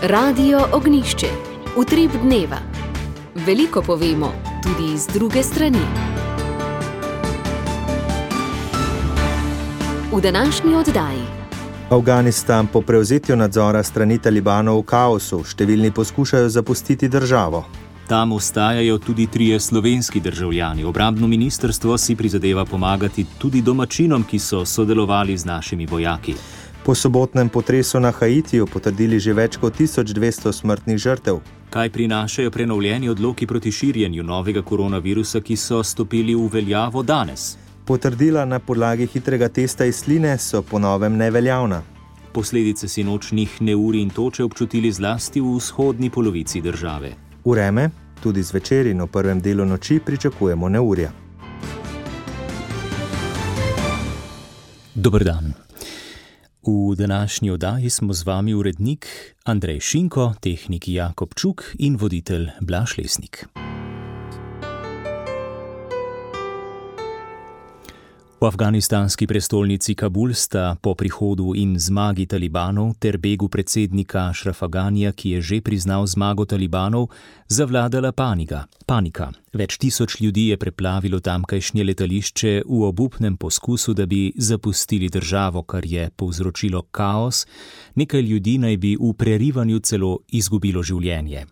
Radio Ognjišče. Utrip dneva. Veliko povemo, tudi iz druge strani. V današnji oddaji. Afganistan po prevzetju nadzora strani Talibanov v kaosu. Številni poskušajo zapustiti državo. Tam ostajajo tudi 3 slovenski državljani. Obrambno ministrstvo si prizadeva pomagati tudi domačinom, ki so sodelovali z našimi vojaki. Po sobotnem potresu na Haitiju potrdili že več kot 1200 smrtnih žrtev. Kaj prinašajo prenovljeni odloki proti širjenju novega koronavirusa, ki so stopili v veljavo danes? Potrdila na podlagi hitrega testa iz sline so po novem neveljavna. Posledice sinočnjih neurij in toče občutili zlasti v vzhodni polovici države. Vreme, tudi zvečer in v prvem delu noči pričakujemo neurja. Dober dan. V današnji oddaji smo z vami urednik Andrej Šinko, tehnik Jakob Čuk in voditelj Blaž Lesnik. V afganistanski prestolnici Kabul sta po prihodu in zmagi Talibanov ter begu predsednika Ašrafa Ganija, ki je že priznal zmago Talibanov, zavladala panika. Več tisoč ljudi je preplavilo tamkajšnje letališče v obupnem poskusu, da bi zapustili državo, kar je povzročilo kaos. Nekaj ljudi naj bi v prerivanju celo izgubilo življenje.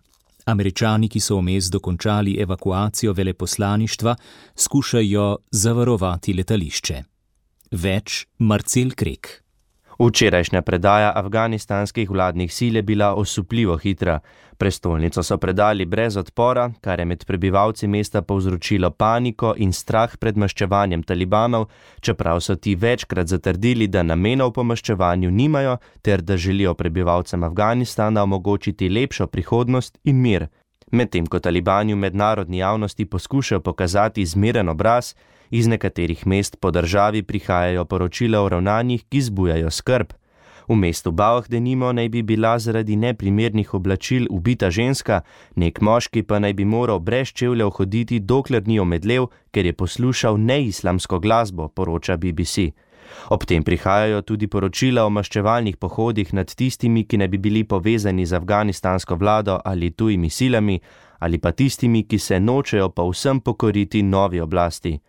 Američani, ki so vmes dokončali evakuacijo veleposlaništva, skušajo zavarovati letališče. Več Marcel Krek. Včerajšnja predaja afganistanskih vladnih sil je bila osupljivo hitra. Prestolnico so predali brez odpora, kar je med prebivalci mesta povzročilo paniko in strah pred maščevanjem Talibanov, čeprav so ti večkrat zatrdili, da namenov po maščevanju nimajo ter da želijo prebivalcem Afganistana omogočiti lepšo prihodnost in mir. Medtem ko Talibani v mednarodni javnosti poskušajo pokazati zmeren obraz, iz nekaterih mest po državi prihajajo poročila o ravnanjih, ki zbujajo skrb. V mestu Bauh denimo naj bi bila zaradi neprimernih oblačil ubita ženska, nek moški pa naj bi moral brez čevljev hoditi, dokler ni omedlel, ker je poslušal neislamsko glasbo, poroča BBC. Ob tem prihajajo tudi poročila o maščevalnih pohodih nad tistimi, ki ne bi bili povezani z afganistansko vlado ali tujimi silami, ali pa tistimi, ki se nočejo povsem pokoriti novi oblasti.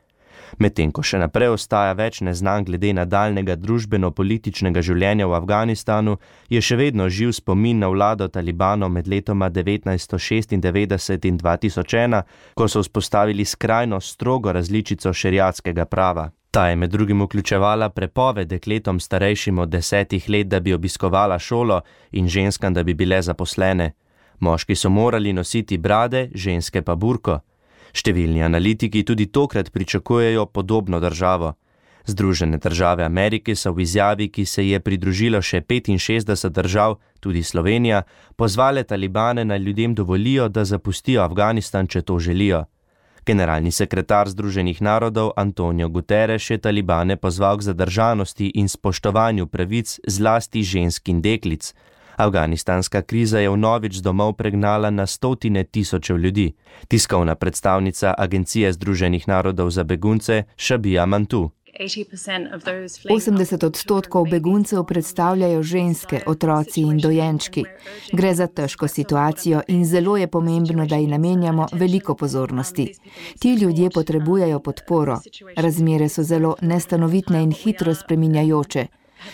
Medtem ko še naprej ostaja več neznank glede nadaljnega družbeno-političnega življenja v Afganistanu, je še vedno živ spomin na vlado Talibanov med letoma 1996 in 2001, ko so vzpostavili skrajno strogo različico šeriatskega prava. Ta je med drugim vključevala prepoved dekletom starejšim od 10 let, da bi obiskovala šolo, in ženskam, da bi bile zaposlene. Moški so morali nositi brade, ženske pa burko. Številni analitiki tudi tokrat pričakujejo podobno državo. Združene države Amerike so v izjavi, ki se je pridružilo še 65 držav, tudi Slovenija, pozvale Talibane naj ljudem dovolijo, da zapustijo Afganistan, če to želijo. Generalni sekretar Združenih narodov Antonio Guterres je Talibane pozval k zadržanosti in spoštovanju pravic zlasti žensk in deklic. Afganistanska kriza je vnovič z domov pregnala na stotine tisočev ljudi. Tiskovna predstavnica Agencije Združenih narodov za begunce Šabija Mantu. 80% beguncev predstavljajo ženske, otroci in dojenčki. Gre za težko situacijo in zelo je pomembno, da ji namenjamo veliko pozornosti. Ti ljudje potrebujejo podporo. Razmere so zelo nestanovitne in hitro spreminjajoče.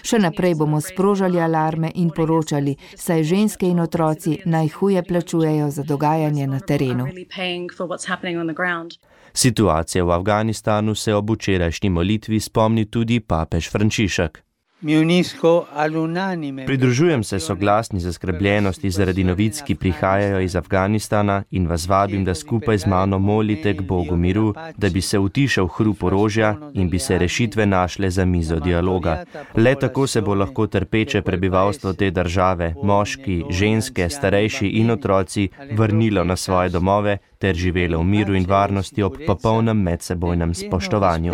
Še naprej bomo sprožali alarme in poročali, saj ženske in otroci najhuje plačujejo za dogajanje na terenu. Situacija v Afganistanu se ob včerajšnji molitvi spomni tudi papež Frančišek. Pridružujem se soglasni zaskrbljenosti zaradi novic, ki prihajajo iz Afganistana, in vas vabim, da skupaj z mano molite k Bogu miru, da bi se utišal hrup orožja in bi se rešitve našle za mizo dialoga. Le tako se bo lahko trpeče prebivalstvo te države, moški, ženske, starejši in otroci, vrnilo na svoje domove ter živelo v miru in varnosti ob popolnem medsebojnem spoštovanju.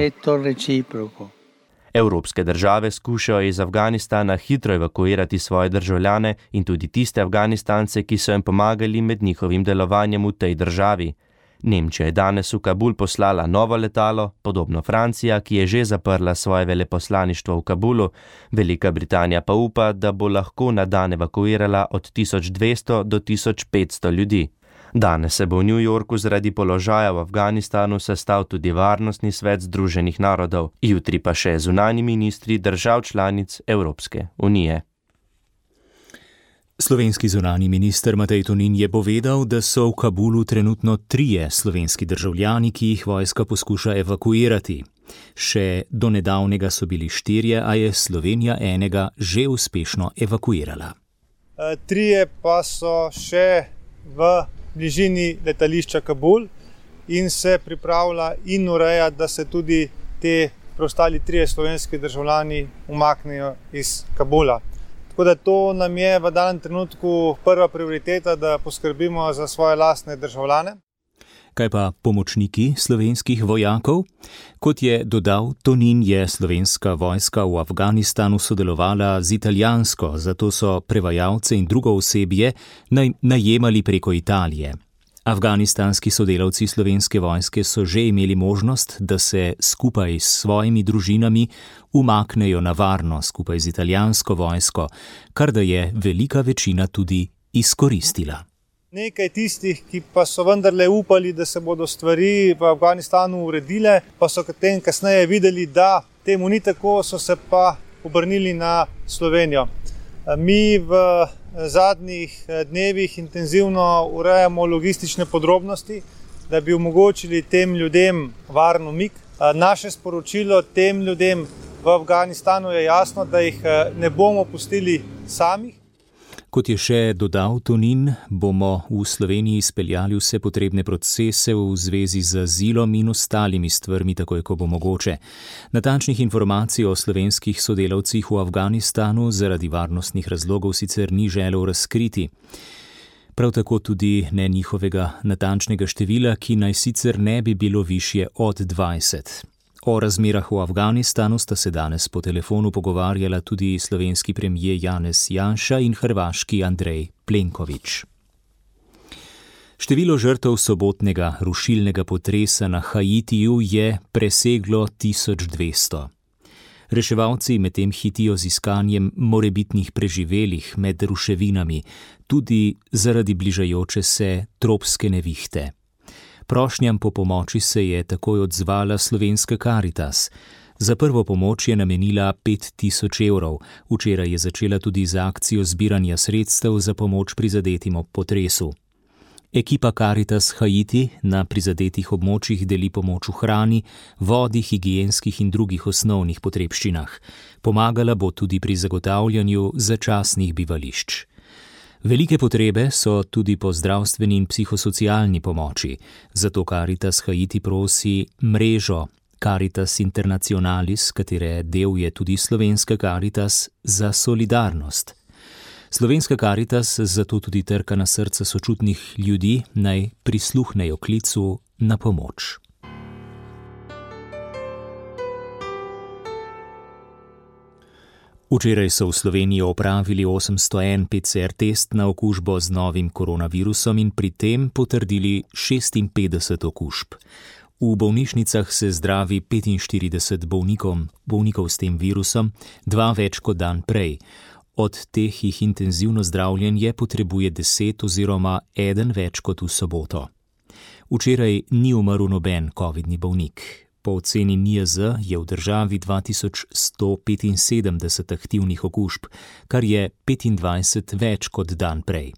Evropske države skušajo iz Afganistana hitro evakuirati svoje državljane in tudi tiste Afganistance, ki so jim pomagali med njihovim delovanjem v tej državi. Nemčija je danes v Kabul poslala novo letalo, podobno Francija, ki je že zaprla svoje veleposlaništvo v Kabulu, Velika Britanija pa upa, da bo lahko na dan evakuirala od 1200 do 1500 ljudi. Danes se bo v New Yorku zaradi položaja v Afganistanu sestal tudi Varnostni svet Združenih narodov, jutri pa še zunanji ministri držav članic Evropske unije. Slovenski zunanji minister Matej Tonin je povedal, da so v Kabulu trenutno 3 slovenski državljani, ki jih vojska poskuša evakuirati. Še do nedavnega so bili 4, a je Slovenija enega že uspešno evakuirala. 3 pa so še v bližini letališča Kabul in se pripravlja in ureja, da se tudi te preostali 3 slovenski državljani umaknejo iz Kabula. Tako da to nam je v danem trenutku prva prioriteta, da poskrbimo za svoje lastne državljane. Kaj pa pomočniki slovenskih vojakov? Kot je dodal Tonin, je slovenska vojska v Afganistanu sodelovala z italijansko, zato so prevajalce in drugo osebje najemali preko Italije. Afganistanski sodelavci slovenske vojske so že imeli možnost, da se skupaj s svojimi družinami umaknejo na varno skupaj z italijansko vojsko, kar da je velika večina tudi izkoristila. Nekaj tistih, ki pa so vendarle upali, da se bodo stvari v Afganistanu uredile, pa so kasneje videli, da temu ni tako, so se pa obrnili na Slovenijo. Mi v zadnjih dnevih intenzivno urejamo logistične podrobnosti, da bi omogočili tem ljudem varen umik. Naše sporočilo tem ljudem v Afganistanu je jasno, da jih ne bomo pustili samih. Kot je še dodal Tonin, bomo v Sloveniji izpeljali vse potrebne procese v zvezi z azilom in ostalimi stvarmi, takoj ko bo mogoče. Natančnih informacij o slovenskih sodelavcih v Afganistanu zaradi varnostnih razlogov sicer ni želel razkriti. Prav tako tudi ne njihovega natančnega števila, ki naj sicer ne bi bilo višje od 20. O razmerah v Afganistanu sta se danes po telefonu pogovarjala tudi slovenski premijer Janez Janša in hrvaški Andrej Plenković. Število žrtev sobotnega rušilnega potresa na Haitiju je preseglo 1200. Reševalci medtem hitijo z iskanjem morebitnih preživelih med ruševinami, tudi zaradi bližajoče se tropske nevihte. Prošnjam po pomoči se je takoj odzvala slovenska Karitas. Za prvo pomoč je namenila 5000 evrov. Včeraj je začela tudi z akcijo zbiranja sredstev za pomoč prizadetim ob potresu. Ekipa Karitas Haiti na prizadetih območjih deli pomoč v hrani, vodi, higienskih in drugih osnovnih potrebščinah. Pomagala bo tudi pri zagotavljanju začasnih bivališč. Velike potrebe so tudi po zdravstveni in psihosocialni pomoči, zato Caritas Haiti prosi mrežo Caritas Internationalis, katere del je tudi slovenska Caritas, za solidarnost. Slovenska Caritas zato tudi trka na srca sočutnih ljudi, naj prisluhnejo klicu na pomoč. Včeraj so v Sloveniji opravili 801 PCR test na okužbo z novim koronavirusom in pri tem potrdili 56 okužb. V bolnišnicah se zdravi 45 bolnikov s tem virusom, 2 več kot dan prej. Od teh jih intenzivno zdravljenje potrebuje 10 oziroma 1 več kot v soboto. Včeraj ni umrl noben covidni bolnik. Po oceni NIJZ je v državi 2175 aktivnih okužb, kar je 25 več kot dan prej.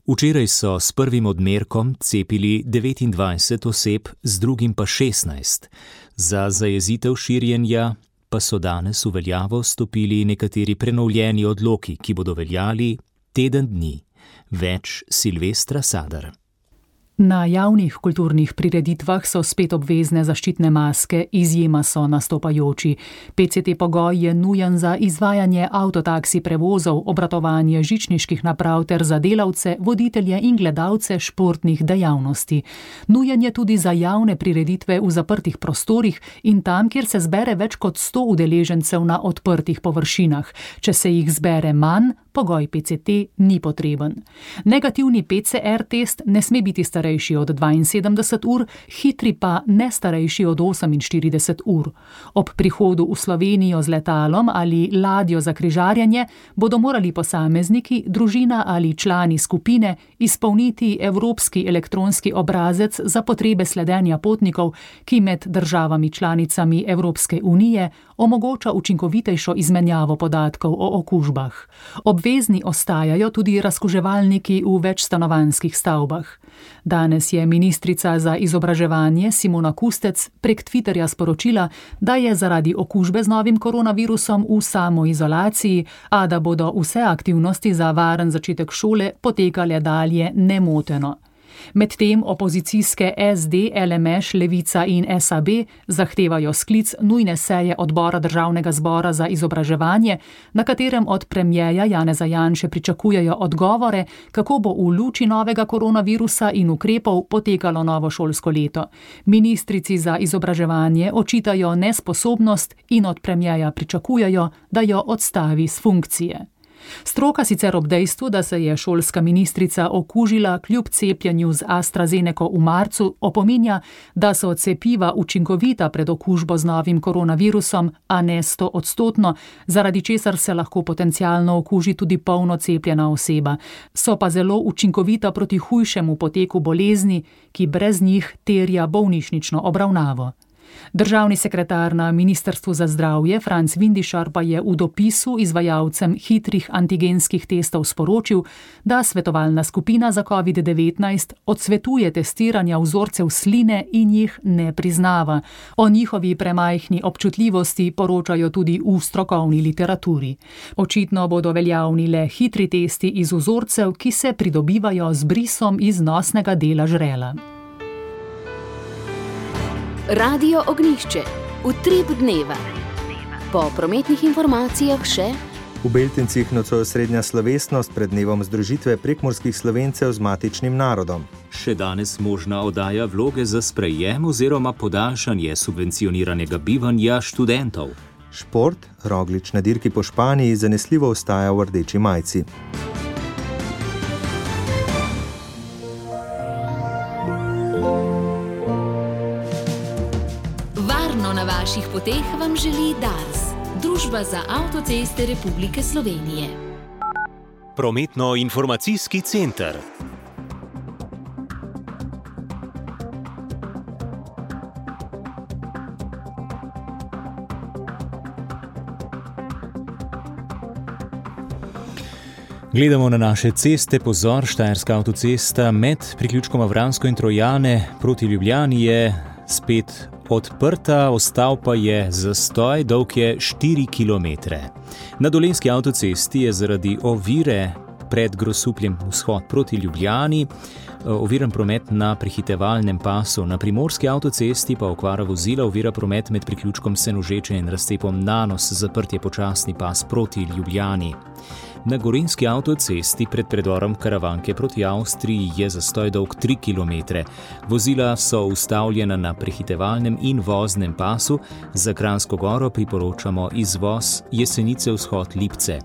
Včeraj so s prvim odmerkom cepili 29 oseb, z drugim pa 16. Za zajezitev širjenja pa so danes v veljavo stopili nekateri prenovljeni odloki, ki bodo veljali teden dni. Več Silvestra Sadar. Na javnih kulturnih prireditvah so spet obvezne zaščitne maske, izjema so nastopajoči. PCT pogoj je nujen za izvajanje avtotaksi prevozov, obratovanje žičniških naprav ter za delavce, voditelje in gledalce športnih dejavnosti. Nujen je tudi za javne prireditve v zaprtih prostorih in tam, kjer se zbere več kot 100 udeležencev na odprtih površinah. Če se jih zbere manj, pogoj PCT ni potreben. Negativni PCR test ne sme biti starejši starejši od 72 ur, hitri pa ne starejši od 48 ur. Ob prihodu v Slovenijo z letalom ali ladjo za križarjenje bodo morali posamezniki, družina ali člani skupine izpolniti evropski elektronski obrazec za potrebe sledenja potnikov, ki med državami članicami Evropske unije omogoča učinkovitejšo izmenjavo podatkov o okužbah. Obvezni ostajajo tudi razkuževalniki v večstanovanjskih stavbah. Danes je ministrica za izobraževanje Simona Kustec prek Twitterja sporočila, da je zaradi okužbe z novim koronavirusom v samoizolaciji, a da bodo vse aktivnosti za varen začetek šole potekale dalje nemoteno. Medtem opozicijske SD, LMŠ, Levica in SAB zahtevajo sklic nujne seje odbora Državnega zbora za izobraževanje, na katerem od premierja Janeza Janše pričakujejo odgovore, kako bo v luči novega koronavirusa in ukrepov potekalo novo šolsko leto. Ministrici za izobraževanje očitajo nesposobnost in od premierja pričakujejo, da jo odstavi s funkcije. Stroka sicer ob dejstvu, da se je šolska ministrica okužila kljub cepljenju z AstraZeneco v marcu, opominja, da so cepiva učinkovita pred okužbo z novim koronavirusom, a ne 100-odstotno, zaradi česar se lahko potencialno okuži tudi polno cepljena oseba. So pa zelo učinkovita proti hujšemu poteku bolezni, ki brez njih terja bolnišnično obravnavo. Državni sekretar na Ministrstvu za zdravje Franc Vindišar pa je v dopisu izvajalcem hitrih antigenskih testov sporočil, da svetovalna skupina za COVID-19 odsvetuje testiranja vzorcev sline in jih ne priznava. O njihovi premajhni občutljivosti poročajo tudi v strokovni literaturi. Očitno bodo veljavni le hitri testi iz vzorcev, ki se pridobivajo z brisom iz nosnega dela žrela. Radio Ognjišče, utrip dneva. Po prometnih informacijah še: v Beltincih nocoj osrednja slovesnost pred dnevom združitve prekmurskih Slovencev z matičnim narodom. Še danes možna oddaja vloge za sprejem oziroma podaljšanje subvencioniranega bivanja študentov. Šport, Roglič na dirki po Španiji zanesljivo ostaja v rdeči majici. Na vaših poteh vam želi Dars, Družba za avtoceste Republike Slovenije. Prometno-informacijski center. Gledamo na naše ceste, pozor, Štajerska avtocesta med priključkoma Vransko in Trojane proti Ljubljani je spet odprta, ostal pa je zastoj, dolg je 4 km. Na Dolenjski avtocesti je zaradi ovire pred Grosupljem vzhod proti Ljubljani oviran promet na prehitevalnem pasu. Na Primorski avtocesti pa okvara vozila ovira promet med priključkom Senožeče in razcepom Nanos, zaprt je počasni pas proti Ljubljani. Na Gorenjski avtocesti pred predorom Karavanke proti Avstriji je zastoj dolg 3 km. Vozila so ustavljena na prehitevalnem in voznem pasu. Za Kranjsko Goro priporočamo izvoz Jesenice vzhod Lipce.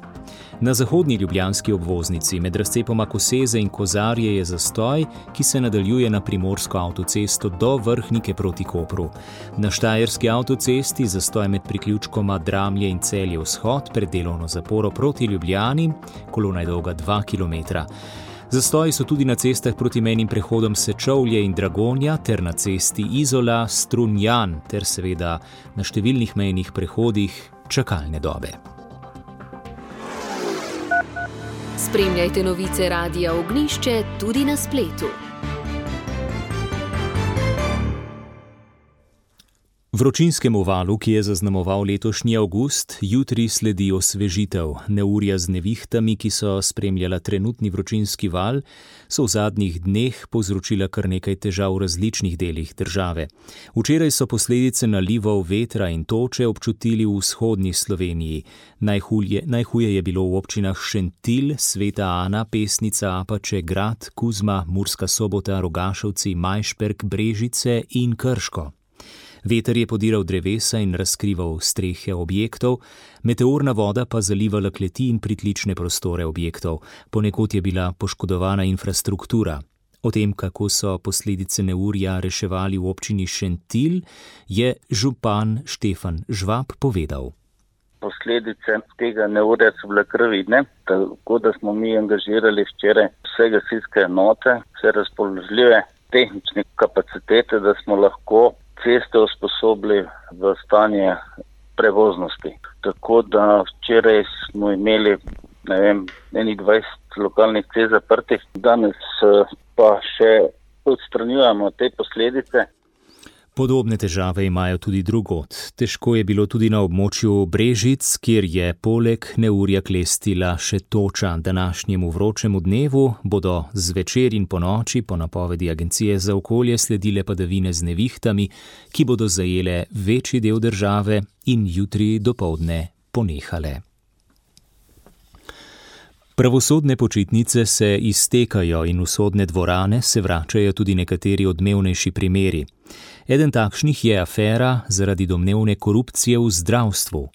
Na zahodni ljubljanski obvoznici med razcepoma Koseze in Kozarje je zastoj, ki se nadaljuje na Primorsko avtocesto do Vrhnike proti Kopru. Na Štajerski avtocesti zastoj med priključkoma Dramlje in Celje vzhod pred delovno zaporo proti Ljubljani, kolona je dolga 2 km. Zastoji so tudi na cestah proti mejnim prehodom Sečovlje in Dragonja ter na cesti Izola, Strunjan ter seveda na številnih mejnih prehodih čakalne dobe. Spremljajte novice Radia Ognjišče tudi na spletu. Vročinskemu valu, ki je zaznamoval letošnji avgust, jutri sledi osvežitev. Neurja z nevihtami, ki so spremljala trenutni vročinski val, so v zadnjih dneh povzročila kar nekaj težav v različnih delih države. Včeraj so posledice nalivov vetra in toče občutili v vzhodni Sloveniji. Najhuje je bilo v občinah Šentilj, Sveta Ana, Pesnica, Apače, Grad, Kuzma, Murska Sobota, Rogašovci, Majšperk, Brežice in Krško. Veter je podiral drevesa in razkrival strehe objektov, meteorna voda pa zalivala kleti in pritlične prostore objektov. Ponekod je bila poškodovana infrastruktura. O tem, kako so posledice neurja reševali v občini Šentilj, je župan Štefan Žvab povedal. Posledice tega neurja so bile kar vidne, tako da smo mi angažirali včeraj vse gasilske enote, vse razpoložljive tehnične kapacitete, da smo lahko ceste usposobili v stanje prevoznosti. Tako da včeraj smo imeli, 20 lokalnih cest zaprtih, danes pa še odstranjujemo te posledice. Podobne težave imajo tudi drugod. Težko je bilo tudi na območju Brežic, kjer je poleg neurja klestila še toča. Današnjemu vročemu dnevu bodo zvečer in ponoči po napovedi Agencije za okolje sledile padavine z nevihtami, ki bodo zajele večji del države in jutri dopoldne ponehale. Pravosodne počitnice se iztekajo in v sodne dvorane se vračajo tudi nekateri odmevnejši primeri. Eden takšnih je afera zaradi domnevne korupcije v zdravstvu.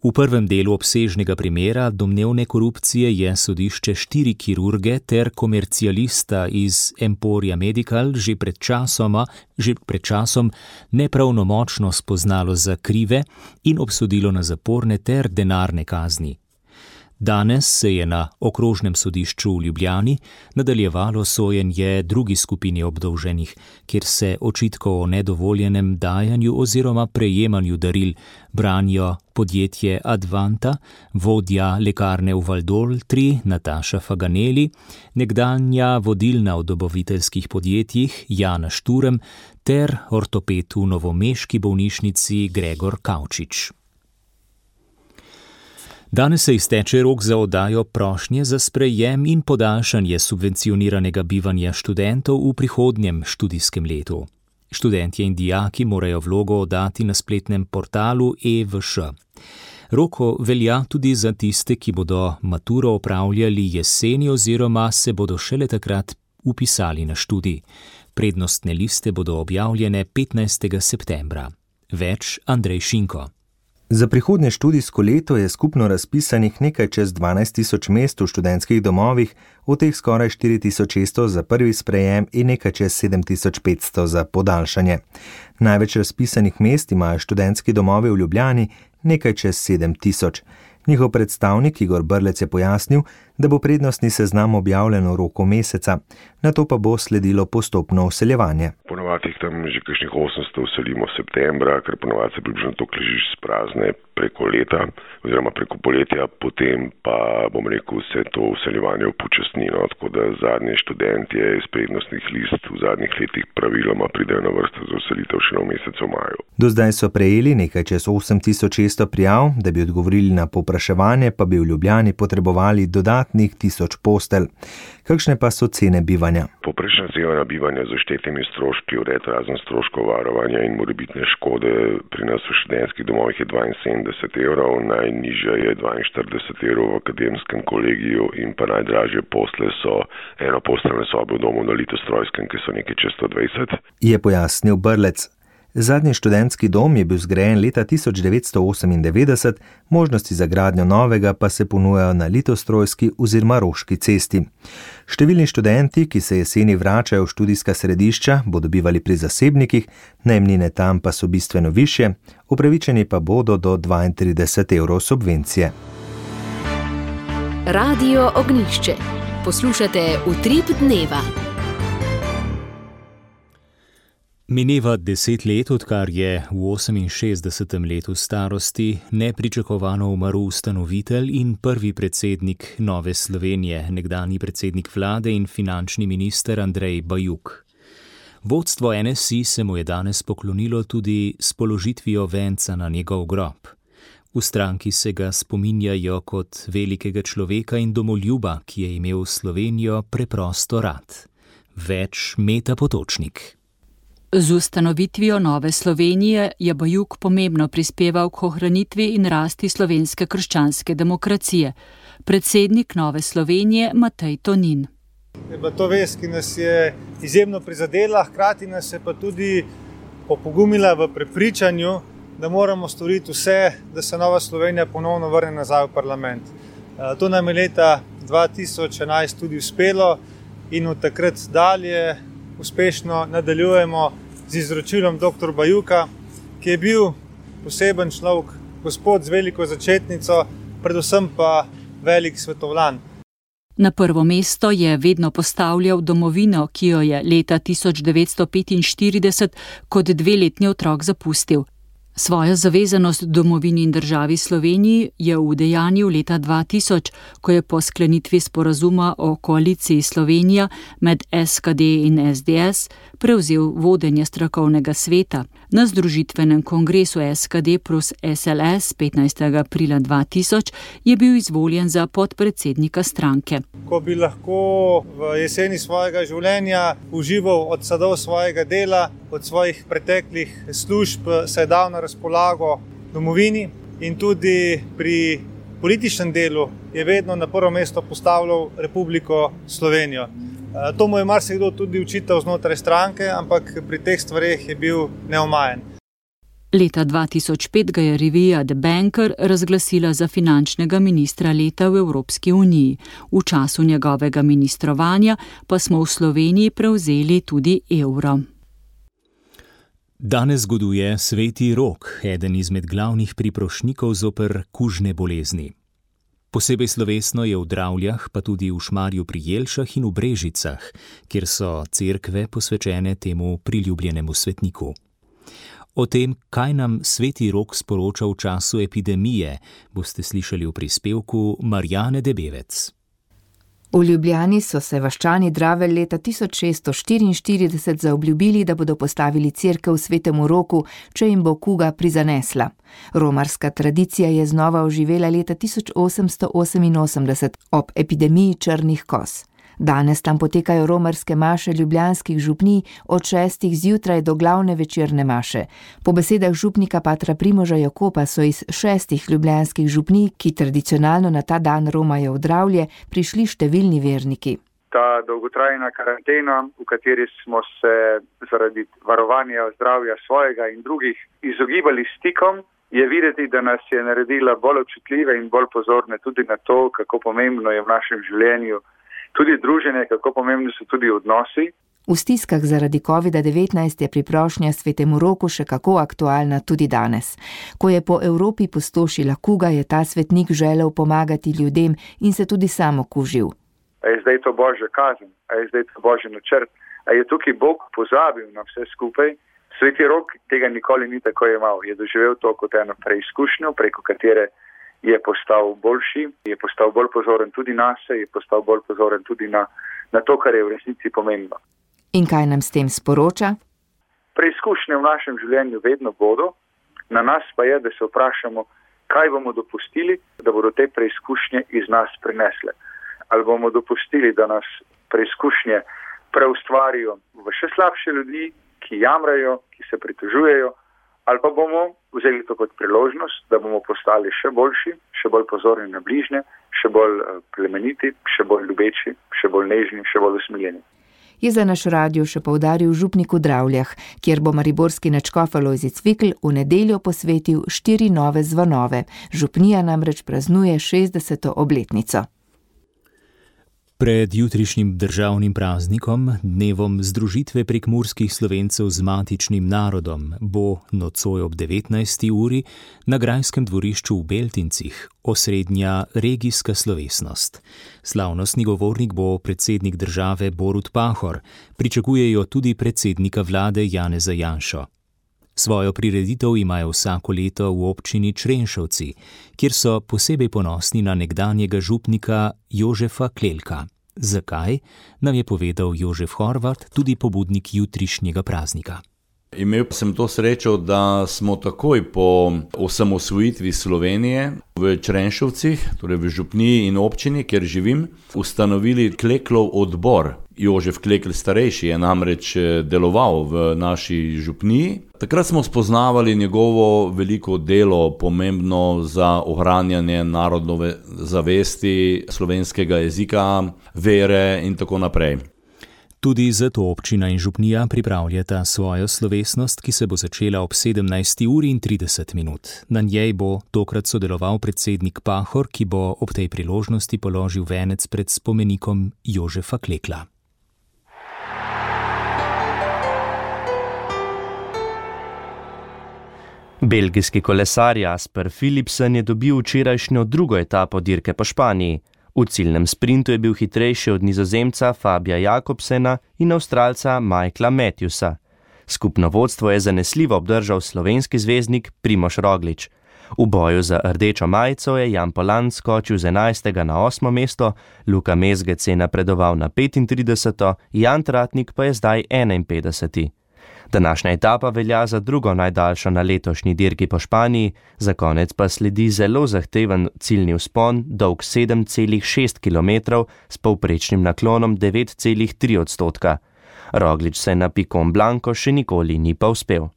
V prvem delu obsežnega primera domnevne korupcije je sodišče 4 kirurge ter komercialista iz Emporia Medical že pred časom nepravnomočno spoznalo za krive in obsodilo na zaporne ter denarne kazni. Danes se je na okrožnem sodišču v Ljubljani nadaljevalo sojenje drugi skupini obdolženih, kjer se očitkov o nedovoljenem dajanju oziroma prejemanju daril branijo podjetje Advanta, vodja lekarne v Valdoltri Nataša Faganeli, nekdanja vodilna v dobaviteljskih podjetjih Jana Šturm ter ortoped v novomeški bolnišnici Gregor Kavčič. Danes se izteče rok za oddajo prošnje za sprejem in podaljšanje subvencioniranega bivanja študentov v prihodnjem študijskem letu. Študentje in dijaki morajo vlogo oddati na spletnem portalu EVŠ. Rok velja tudi za tiste, ki bodo maturo opravljali jeseni oziroma se bodo šele takrat vpisali na študij. Prednostne liste bodo objavljene 15. septembra. Več Andrej Šinko. Za prihodnje študijsko leto je skupno razpisanih nekaj čez 12.000 mest v študentskih domovih, od teh skoraj 4.600 za prvi sprejem in nekaj čez 7.500 za podaljšanje. Največ razpisanih mest imajo študentski domovi v Ljubljani, nekaj čez 7.000. Njihov predstavnik Igor Brlec je pojasnil, da bo prednostni seznam objavljen v roku meseca, nato pa bo sledilo postopno vseljevanje. Ponovadi jih tam že kakšnih 800 vselimo septembra, ker ponovadi se približno toliko ležiš sprazne preko leta oziroma preko poletja, potem pa se to vseljevanje upočasni, tako da zadnji študentje iz prednostnih list v zadnjih letih praviloma pridejo na vrsto za vselitev še v mesecu maju. Do zdaj so prejeli nekaj čez 8.600 prijav, da bi odgovorili na povpraševanje, pa bi v Ljubljani potrebovali dodatnih 1000 postelj. Kakšne pa so cene bivanja? Povprečna cena bivanja z vštetimi stroški, vred razen stroškov varovanja in morebitne škode pri nas v študentskih domovih je 72 evrov, najnižja je 42 evrov v akademskem kolegiju in pa najdražje posle so enoposteljne sobe v domu na Litostrojskem, ki so nekaj čez 120. Je pojasnil Brlec. Zadnji študentski dom je bil zgrajen leta 1998, možnosti za gradnjo novega pa se ponujajo na Litostrojski oziroma Roški cesti. Številni študenti, ki se jeseni vračajo v študijska središča, bodo bivali pri zasebnikih, najemnine tam pa so bistveno višje, upravičeni pa bodo do 32 evrov subvencije. Radio Ognjišče. Poslušate Utrip dneva. Mineva 10 let, odkar je v 68. letu starosti nepričakovano umrl ustanovitelj in prvi predsednik Nove Slovenije, nekdanji predsednik vlade in finančni minister Andrej Bajuk. Vodstvo NSI se mu je danes poklonilo tudi s položitvijo venca na njegov grob. V stranki se ga spominjajo kot velikega človeka in domoljuba, ki je imel Slovenijo preprosto rad. Več Meta Potočnik. Z ustanovitvijo Nove Slovenije je Bajuk pomembno prispeval k ohranitvi in rasti slovenske krščanske demokracije. Predsednik Nove Slovenije Matej Tonin. Je bila to vest, ki nas je izjemno prizadela, hkrati nas je pa tudi opogumila v prepričanju, da moramo storiti vse, da se Nova Slovenija ponovno vrne nazaj v parlament. To nam je leta 2011 tudi uspelo in od takrat dalje uspešno nadaljujemo z izročilom dr. Bajuka, ki je bil poseben človek, gospod z veliko začetnico, predvsem pa velik svetovljan. Na prvo mesto je vedno postavljal domovino, ki jo je leta 1945 kot 2-letni otrok zapustil. Svojo zavezanost domovini in državi Sloveniji je udejanjil leta 2000, ko je po sklenitvi sporazuma o koaliciji Slovenija med SKD in SDS prevzel vodenje strokovnega sveta. Na združitvenem kongresu SKD plus SLS 15. aprila 2000 je bil izvoljen za podpredsednika stranke. Ko bi lahko v jeseni svojega življenja užival od sadov svojega dela, od svojih preteklih služb, se je dal na razpolago domovini in tudi pri političnem delu je vedno na prvo mesto postavljal Republiko Slovenijo. To mu je marsikdo tudi učital znotraj stranke, ampak pri teh stvareh je bil neomajen. Leta 2005 ga je revija The Banker razglasila za finančnega ministra leta v Evropski uniji. V času njegovega ministrovanja pa smo v Sloveniji prevzeli tudi evro. Danes zgoduje Sveti Rok, eden izmed glavnih priprošnjikov zoper kužne bolezni. Posebej slovesno je v Dravljah, pa tudi v Šmarju pri Jelšah in v Brežicah, kjer so cerkve posvečene temu priljubljenemu svetniku. O tem, kaj nam Sveti Rok sporoča v času epidemije, boste slišali v prispevku Marjane Debevec. V Ljubljani so se vaščani Dravelj leta 1644 zaobljubili, da bodo postavili cerkev Svetemu Roku, če jim bo kuga prizanesla. Romarska tradicija je znova oživela leta 1888 ob epidemiji črnih koz. Danes tam potekajo romarske maše ljubljanskih župnij od 6. zjutraj do glavne večerne maše. Po besedah župnika patra Primoža Jakopa so iz 6 ljubljanskih župnij, ki tradicionalno na ta dan romajo v Dravlje, prišli številni verniki. Ta dolgotrajna karantena, v kateri smo se zaradi varovanja zdravja svojega in drugih izogibali stikom, je videti, da nas je naredila bolj občutljive in bolj pozorne tudi na to, kako pomembno je v našem življenju tudi druženje, kako pomembni so tudi odnosi. V stiskah zaradi COVID-19 je priprošnja Svetemu Roku še kako aktualna tudi danes. Ko je po Evropi pustošila kuga, je ta svetnik želel pomagati ljudem in se tudi sam okužil. A je zdaj to božja kazen? A je zdaj to božji načrt? A je tukaj Bog pozabil na vse skupaj? Sveti Rok tega nikoli ni tako imel. Je doživel to kot eno preizkušnjo, preko katere je postal boljši, je postal bolj pozoren tudi nase, je postal bolj pozoren tudi na to, kar je v resnici pomembno. In kaj nam s tem sporoča? Preizkušnje v našem življenju vedno bodo, na nas pa je, da se vprašamo, kaj bomo dopustili, da bodo te preizkušnje iz nas prinesle. Ali bomo dopustili, da nas preizkušnje preustvarijo v še slabše ljudi, ki jamrajo, ki se pritožujejo, ali pa bomo vzeli to kot priložnost, da bomo postali še boljši, še bolj pozorni na bližnje, še bolj plemeniti, še bolj ljubeči, še bolj nežni, še bolj usmiljeni. Je za naš radio še poudaril župnik v Dravljah, kjer bo mariborski nadškof Alojzij Cvikl v nedeljo posvetil 4 nove zvonove. Župnija namreč praznuje 60. obletnico. Pred jutrišnjim državnim praznikom, dnevom združitve prekmurskih Slovencev z matičnim narodom, bo nocoj ob 19. uri na grajskem dvorišču v Beltincih osrednja regijska slovesnost. Slavnostni govornik bo predsednik države Borut Pahor, pričakujejo tudi predsednika vlade Janeza Janšo. Svojo prireditev imajo vsako leto v občini Črenšovci, kjer so posebej ponosni na nekdanjega župnika Jožefa Klelka. Zakaj, nam je povedal Jožef Horvat, tudi pobudnik jutrišnjega praznika. Imel sem to srečo, da smo takoj po osamosvojitvi Slovenije v Črenšovcih, torej v župniji in občini, kjer živim, ustanovili Kleklov odbor. Jožef Klekl starejši je namreč deloval v naši župniji. Takrat smo spoznavali njegovo veliko delo, pomembno za ohranjanje narodnove zavesti, slovenskega jezika, vere in tako naprej. Tudi zato občina in župnija pripravljata svojo slovesnost, ki se bo začela ob 17:30. Na njej bo tokrat sodeloval predsednik Pahor, ki bo ob tej priložnosti položil venec pred spomenikom Jožefa Klekla. Belgijski kolesar Jasper Philipsen je dobil včerajšnjo drugo etapo dirke po Španiji. V ciljnem sprintu je bil hitrejši od Nizozemca Fabija Jakobsena in Avstralca Michaela Matthewsa. Skupno vodstvo je zanesljivo obdržal slovenski zvezdnik Primož Roglič. V boju za rdečo majico je Jan Polan skočil z 11. na 8. mesto, Luka Mezgec je napredoval na 35. Jan Tratnik pa je zdaj 51. Današnja etapa velja za drugo najdaljšo na letošnji dirki po Španiji, za konec pa sledi zelo zahteven ciljni vzpon, dolg 7,6 km s povprečnim naklonom 9,3%. Roglič se na Picon Blanco še nikoli ni pa uspel.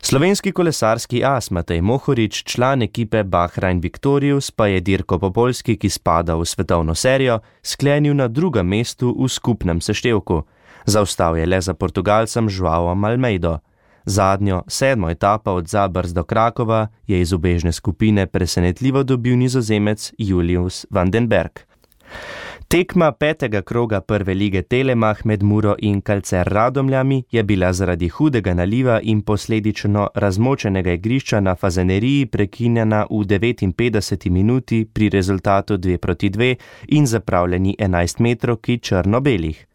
Slovenski kolesarski as Matej Mohorič, član ekipe Bahrain Victorious, pa je dirko po Poljski, ki spada v svetovno serijo, sklenil na drugem mestu v skupnem seštevku. Zaostal je le za Portugalcem Joaom Almeido. Zadnjo, 7. etapa od Zabrz do Krakova je iz ubežne skupine presenetljivo dobil Nizozemec Julius van den Berg. Tekma 5. kroga prve lige Telemach med Muro in Calcer Radomljami je bila zaradi hudega naliva in posledično razmočenega igrišča na Fazaneriji prekinjena v 59. minuti pri rezultatu 2:2 in zapravljeni 11-metrovki črno-belih.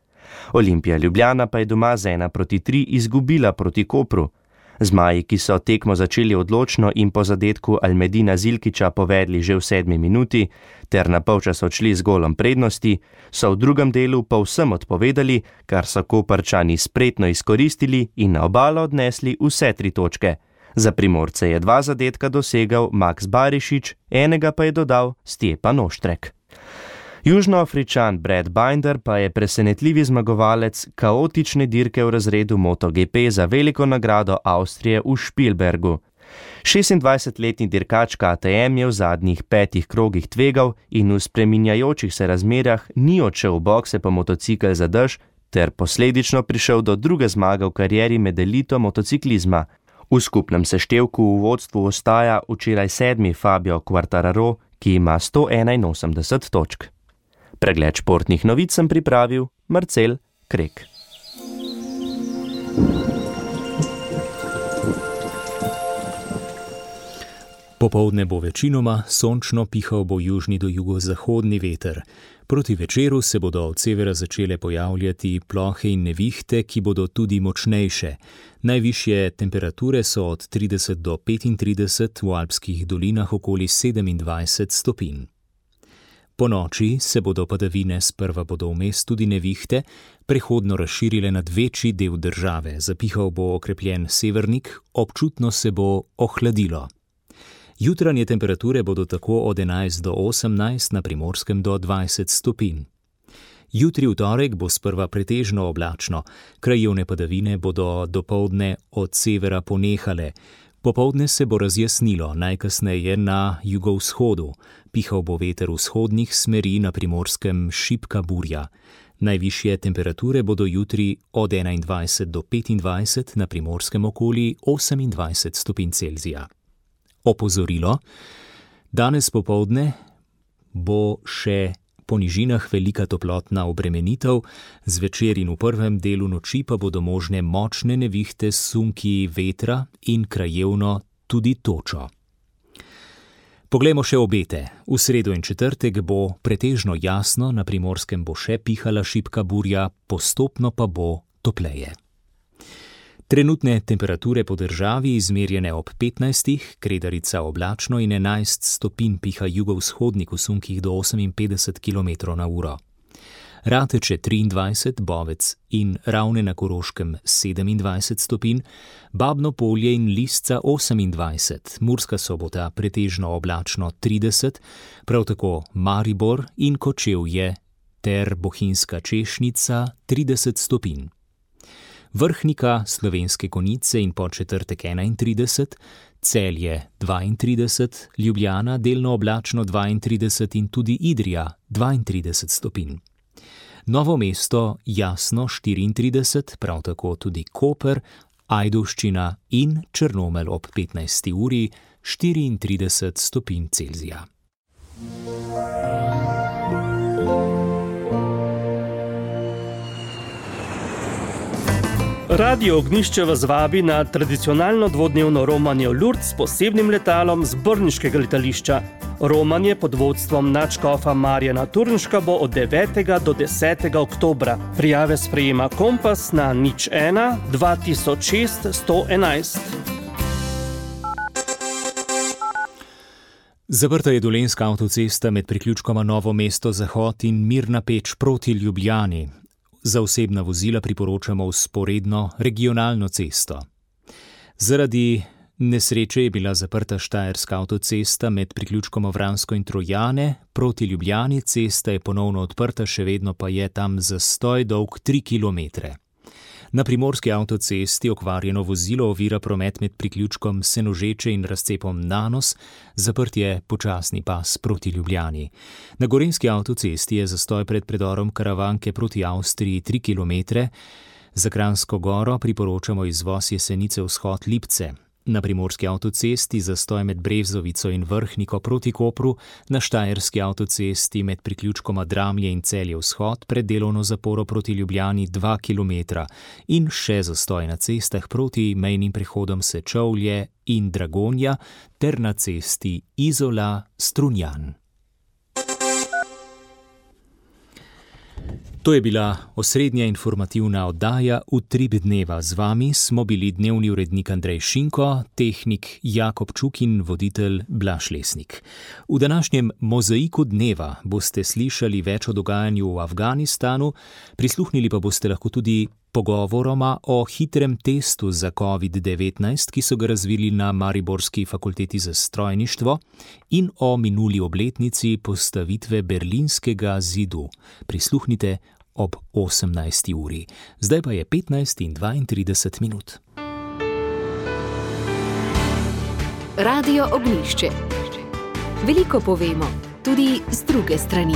Olimpija Ljubljana pa je doma z 1:3 izgubila proti Kopru. Zmaji, ki so tekmo začeli odločno in po zadetku Almedina Zilkiča povedli že v 7. minuti, ter na polčas odšli z golom prednosti, so v drugem delu povsem odpovedali, kar so Koprčani spretno izkoristili in na obalo odnesli vse 3 točke. Za Primorce je 2 zadetka dosegal Max Barišič, enega pa je dodal Stjepan Oštrek. Južnoafričan Brad Binder pa je presenetljivi zmagovalec kaotične dirke v razredu MotoGP za veliko nagrado Avstrije v Spielbergu. 26-letni dirkač KTM je v zadnjih 5 krogih tvegal in v spreminjajočih se razmerah ni odšel v bokse po motocikel za dež, ter posledično prišel do druge zmage v karieri med elito motociklizma. V skupnem seštevku v vodstvu ostaja včeraj 7. Fabio Quartararo, ki ima 181 točk. Pregled športnih novic sem pripravil Marcel Krek. Popoldne bo večinoma sončno, pihal bo južni do jugozahodni veter. Proti večeru se bodo od severa začele pojavljati plohe in nevihte, ki bodo tudi močnejše. Najvišje temperature so od 30 do 35, v alpskih dolinah okoli 27 stopinj. Po noči se bodo padavine, sprva bodo vmes tudi nevihte, prehodno razširile nad večji del države. Zapihal bo okrepljen severnik, občutno se bo ohladilo. Jutranje temperature bodo tako od 11 do 18, na Primorskem do 20 stopinj. Jutri v torek bo sprva pretežno oblačno, krajevne padavine bodo dopoldne od severa ponehale. Popoldne se bo razjasnilo, najkasneje na jugovzhodu. Pihal bo veter vzhodnih smeri, na Primorskem šibka burja. Najvišje temperature bodo jutri od 21 do 25, na Primorskem okoli 28 stopinj Celzija. Opozorilo: danes popoldne bo še po nižinah velika toplotna obremenitev, zvečer in v prvem delu noči pa bodo možne močne nevihte s sunki vetra in krajevno tudi točo. Poglejmo še obete. V sredo in četrtek bo pretežno jasno, na Primorskem bo še pihala šibka burja, postopno pa bo topleje. Trenutne temperature po državi izmerjene ob 15, Kredarica oblačno in 11 stopinj, piha jugovzhodnik v sunkih do 58 km/h. Rateče 23, Bovec in Ravne na Koroškem 27 stopinj, Babno Polje in Lisca 28, Murska Sobota pretežno oblačno 30, prav tako Maribor in Kočevje ter Bohinjska Češnica 30 stopinj. Vrhnika, Slovenske Konjice in Podčetrtek 31, Celje 32, Ljubljana delno oblačno 32 in tudi Idrija 32 stopinj. Novo mesto jasno 34, prav tako tudi Koper, Ajdovščina in Črnomelj ob 15. uri 34 stopinj Celzija. Radio Ognjišče vas vabi na tradicionalno dvodnevno romanje v Lourdes s posebnim letalom z brniškega letališča. Romanje pod vodstvom nadškofa Marjana Turnška bo od 9. do 10. oktobra. Prijave sprejema Kompas na 01 2006 111. Zaprta je dolenjska avtocesta med priključkoma Novo mesto Zahod in Mirna Peč proti Ljubljani. Za osebna vozila priporočamo vzporedno regionalno cesto. Zaradi nesreče je bila zaprta štajerska avtocesta med priključkoma Vransko in Trojane. Proti Ljubljani cesta je ponovno odprta, še vedno pa je tam zastoj dolg 3 kilometre. Na primorski avtocesti okvarjeno vozilo ovira promet med priključkom Senožeče in razcepom Nanos, zaprt je počasni pas proti Ljubljani. Na gorenjski avtocesti je zastoj pred predorom Karavanke proti Avstriji 3 kilometre. Za Kranjsko Goro priporočamo izvoz Jesenice vzhod Lipce. Na primorski avtocesti zastoj med Brevzovico in Vrhniko proti Kopru, na štajerski avtocesti med priključkoma Dramlje in Celje vzhod pred delovno zaporo proti Ljubljani 2 kilometra in še zastoj na cestah proti mejnim prehodom Sečovlje in Dragonja ter na cesti Izola-Strunjan. To je bila osrednja informativna oddaja Utrip dneva. Z vami smo bili dnevni urednik Andrej Šinko, tehnik Jakob Čuk in voditelj Blaž Lesnik. V današnjem mozaiku dneva boste slišali več o dogajanju v Afganistanu, prisluhnili pa boste lahko tudi pogovoroma o hitrem testu za COVID-19, ki so ga razvili na Mariborski fakulteti za strojništvo, in o minuli obletnici postavitve Berlinskega zidu. Prisluhnite ob 18. uri. Zdaj pa je 15 in 32 minut. Radio Ognjišče. Veliko povemo, tudi z druge strani.